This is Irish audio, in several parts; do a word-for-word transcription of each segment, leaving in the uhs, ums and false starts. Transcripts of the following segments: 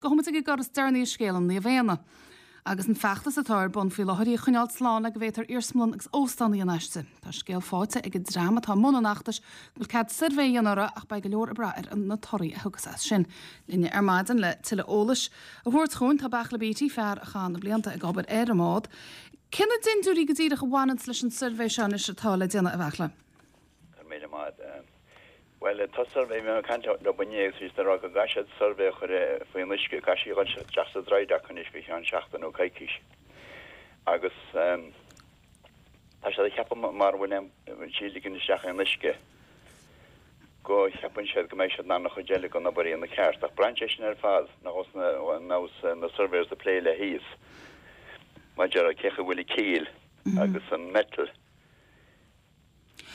Gabhfaidh muid ag an gcor is deireanaí i scéal an Naomh Éanna agus an feachtas atá ar bun faoi láthair í a choinneáil slán le go bhféadfar iarsmalann agus óstán a dhéanamh aisti. Tá scéal faighte ag an dream atá i mbun an fheachtais go bhfuil cead suirbhé a dhéanamh uirthi ach beidh go leor ag brath ar na torthaí a thiocfas as sin. Linn ar maidin le tuilleadh eolais a thabhairt chugainn tá Beartla Beatty, fear a chaith na blianta ag obair ar an mbád. Cé na dindiúirí go díreach a bhaineanns leis an suirbhé seo anois atá le déanamh a Bheartla? Go raibh míle maith agat. Bhuel, tá suirbhé, bhí mé ag caint leo inné agus bhí siad ag rá go gcaithfidh siad suirbhé a chur faoin uisce, caithfidh sí a dhul isteach sa dry dock anois faoi cheann seachtain nó coicís. Agus tá siad ag ceapadh mara bhfuil aon, sí ag ligean isteach aon uisce, go cheapann siad go mbeidh siad in ann an chuid eile den obair a dhéanamh ceart. Ach braitheann sé sin ar fad nós na surveyors ag plé léi thíos maidir le cé chaoi bhfuil an keel agus an metal.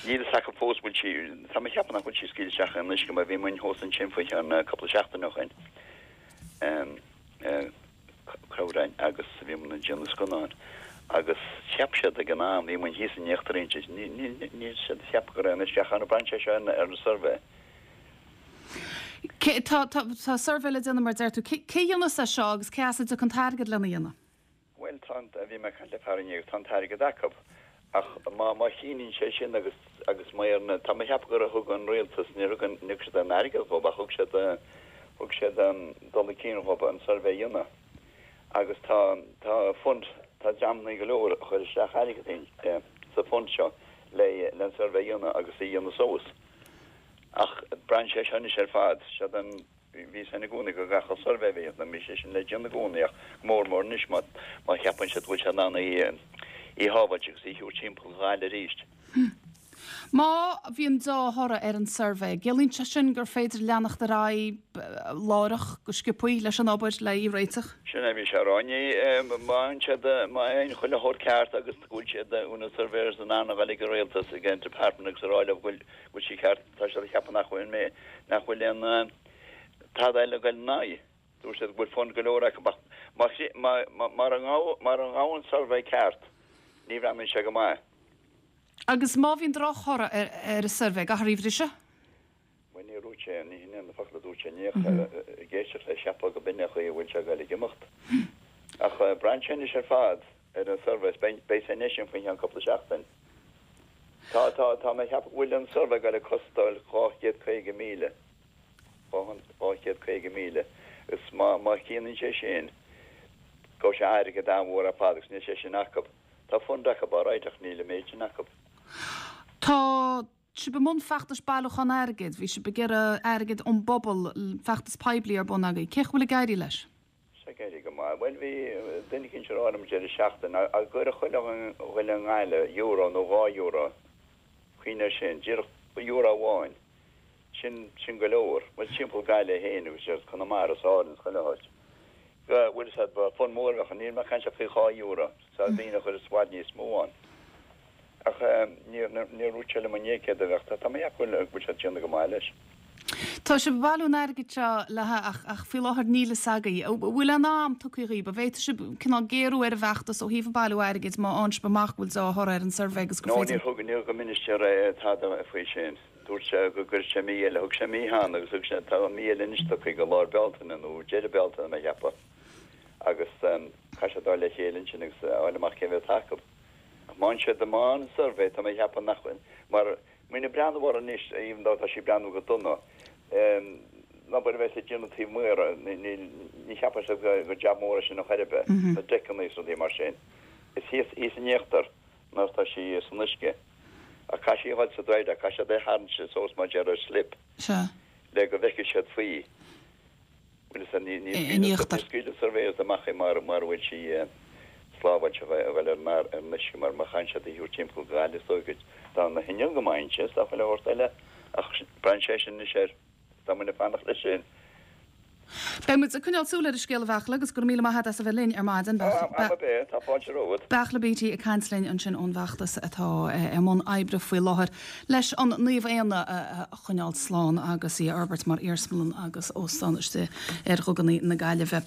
Níl fhios acu fós bhfuil sí, tá mé ag ceapadh nach bhfuil sí ag scaoileadh isteach aon uisce mar bhí muinn thuas ansin faoi cheann cúpla seachtain ó shin, Crobhráin, agus bhí muinn ag déanamh scannáin agus cheap siad ag an am, bhí muinn thíos in íochtar inti, níl siad ag ceapadh go raibh aon uisce ach braitheann sé seo ar an suirbhé. Cé, tá, tá, tá suirbhé le déanamh mar deir tú, cé, cé dhéanfas é seo agus cé as a dtiocfaidh an t-airgead lena dhéanamh? Bhuel, tá an, bhí mé ag caint le fear inné agus tá an t-airgead acu. Ach má, má shíníonn sé sin agus, agus má ar na, tá mé ag ceapadh gur thug an rialtas, níor thug an, níor thug siad aon airgead dhób ach thug siad, thug siad dul chun cinn dhób an suirbhé a dhéanamh. Agus tá, tá fund, tá dreamannaí go leor a chuir isteach airgead in, sa fund seo le, le an suirbhé a dhéanamh agus a dhéanamh suas. Ach braitheann sé seo anois ar fad, siad an, Bhí sin i gcónaí go gcaithfeadh suirbhé a bheith ann, bhí sé sin le déanamh i gcónaí ach go mór mór anois má má cheapann siad go bhfuil sé in ann í í shábháilt agus í thabhairt timpeall Ghaillimh arís. Má bhíonn deá-thoradh ar an suirbhé, ciallaíonn sé sin gur féidir leanacht ar aghaidh láithreach go sciobthaí leis an obair le í a réiteach? Sin é a bhí sé a rá inné, má fhaigheann siad, má fhaigheann chuile shórt ceart agus go bhfuil siad, na surveyors in ann a dhul ag an rialtas, ag an department agus a rá leo go bhfuil go bhfuil sí ceart, Tá siad ag ceapadh nach bhfuil mé, nach bhfuil aon tada eile ag goil ina aghaidh. Dúirt siad go bhfuil fund go leor acu ach má, má, mara ngabh, mara ngabhann an suirbhé ceart, ní bhreathnaíonn sé go maith. Agus má bhíonn drochthoradh ar, ar an suirbhé, caithfear í a bhriseadh? Bhuel, níor dhúirt sé, ní hin é na focail a dúirt sé inné ach ag éisteacht leis cheapfá go b'in é an chaoi a bhfuil sé ag goil ag imeacht. Ach braitheann sé anois ar fad ar an suirbhé, beidh, beidh sé anois faoi cheann cúpla seachtain. Tá, tá, tá mé ag ceapadh go bhfuil an suirbhé ag goil ag costáil dhá chéad caoga míle, dhá, dhá chéad caoga míle, agus má, má chianann sé sin, gabhfaidh sé airgead an-mhór ar fad agus níl sé sin acu. Tá fund acu alright ach níl an méid sin acu. Tá sibh i mbun feachtais bailiúchán airgid, bhí sibh ag iarraidh airgead ón bpobal, feachtas poiblí ar bun agaibh. Cén chaoi a bhfuil ag éirí leis? Tá ag éirí go maith. Bhuel, bhí duine eicínt ag rá liom an deireadh seachtaine, dá gcuirfeadh chuile dhuine i nGaillimh euro nó dhá euro, cuimhnigh air sin, díreach euro amháin, sin, sin go leor. Bhuel, timpeall Gaillimh féin agus ar Conamara is Árainn is chuile áit. Go, bhfuil fhios a'd, ba fund mór a bheadh ann. Níl mé ag caint ach faoi dhá euro, tá daoine a chuir i bhfad níos mó ann. Ach níor, níor dhúirt sé liom inné céard a bheadh. Tá mé ag ceapadh go bhfuil siad ag déanamh go maith leis. Tá sibh ag bailiú an airgid seo le ach ach faoi láthair níl fhios agaibh. An bhfuil aon am tugtha dhaoibh? An bhféadfaidh sibh cineál géarú ar an bhfeachtas ó thaobh an bailiú airgid má fhaigheann sibh amach go bhfuil deá-thoradh ar an suirbhé agus gur No, féidir. níor thug, níor thug an minister tada faoi sin. Dúirt sé go gcuirfeadh sé mí eile. Thug sé mí cheana agus thug sé, tá mí eile anois tugtha go lár Bealtaine nó deireadh Bealtaine mé a cheapadh. Agus caithfidh siad dul le chéile ansin agus a fháil amach cé mhéad atá acu. Ach má fhaigheann siad, má fhaigheann an suirbhé, tá mé ag ceapadh nach bhfuil, mar muid ag breathnú air anois, even though tá sí ag breathnú go dona, an obair a bheas le déanamh taobh amuigh, níl, ní cheapann siad gur jab mór é sin ar chor ar bith, na deiceanna is rudaí mar sin. Is thíos, thíos in íochtar nuair atá sí san uisce. Ach caithfidh sí a dhul sa dry dock, caithfidh siad é a tharraingt suas mar déarfá ar slip le go bhfeicfidh siad faoi. Bhuel, is ní in íochtar. scaoilfidh surveyors amach í mara bhfuil sí sábháilte a dhul ar an uisce mar má chaitheann siad í a thabhairt timpeall go Gaillimh is dóigh go dá na hinneall go maith inti is dá chuile shórt eile ach braitheann sé sin anois air tá muid ag fanacht leis sin. Beidh muid ag coinneáil súil ar an scéal a Bheartla agus go raibh míle maith agat as a bheith linn ar maidin. Am ar bith, tá fáilte romhat. Beartla Beattie ag caint linn ansin ón bhfeachtas atá i mbun oibre faoi láthair leis an Naomh Éanna a choinneáil slán agus í a fhorbairt mar iarsmalann agus óstán istigh ar dhuganna na Gaillimhe.